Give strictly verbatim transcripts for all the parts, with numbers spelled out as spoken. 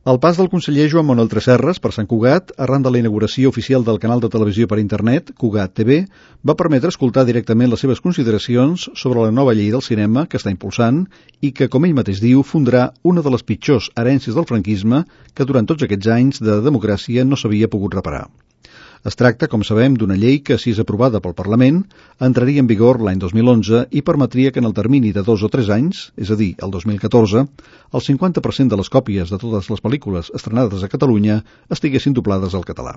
El pas del conseller Joan Manuel Tresserras per Sant Cugat, arran de la inauguració oficial del canal de televisió per internet, Cugat T V, va permetre escoltar directament les seves consideracions sobre la nova llei del cinema que està impulsant i que, com ell mateix diu, fundarà una de les pitjors herències del franquisme que durant tots aquests anys de democràcia no s'havia pogut reparar. Es tracta, com sabem, d'una llei que, si és aprovada pel Parlament, entraria en vigor l'any dos mil onze i permetria que en el termini de dos o tres anys, és a dir, el dos mil catorze, el cinquanta per cent de les còpies de totes les pel·lícules estrenades a Catalunya estiguessin doblades al català.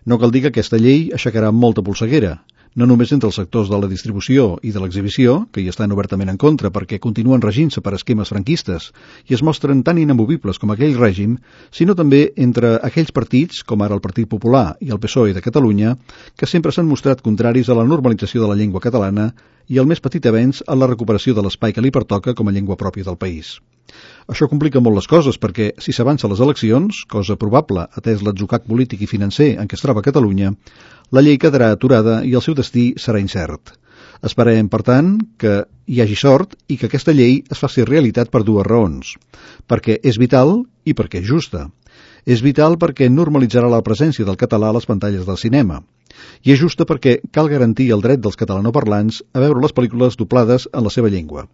No cal dir que aquesta llei aixecarà molta polseguera, no només entre els sectors de la distribució i de l'exhibició, que hi estan obertament en contra perquè continuen regint-se per esquemes franquistes i es mostren tan inamovibles com aquell règim, sinó també entre aquells partits, com ara el Partit Popular i el P S O E de Catalunya, que sempre s'han mostrat contraris a la normalització de la llengua catalana i el més petit avenç a la recuperació de l'espai que li pertoca com a llengua pròpia del país. Això complica molt les coses perquè, si s'avança a les eleccions, cosa probable atès l'atzucac polític i financer en què es troba Catalunya, la llei quedarà aturada i el seu destí serà incert. Esperem, per tant, que hi hagi sort i que aquesta llei es faci realitat per dues raons. Perquè és vital i perquè és justa. És vital perquè normalitzarà la presència del català a les pantalles del cinema. I és justa perquè cal garantir el dret dels catalanoparlants a veure les pel·lícules doblades en la seva llengua.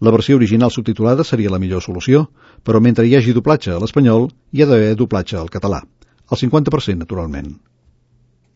La versió original subtitulada seria la millor solució, però mentre hi hagi doblatge a l'espanyol, hi ha d'haver doblatge al català. El cinquanta per cent, naturalment.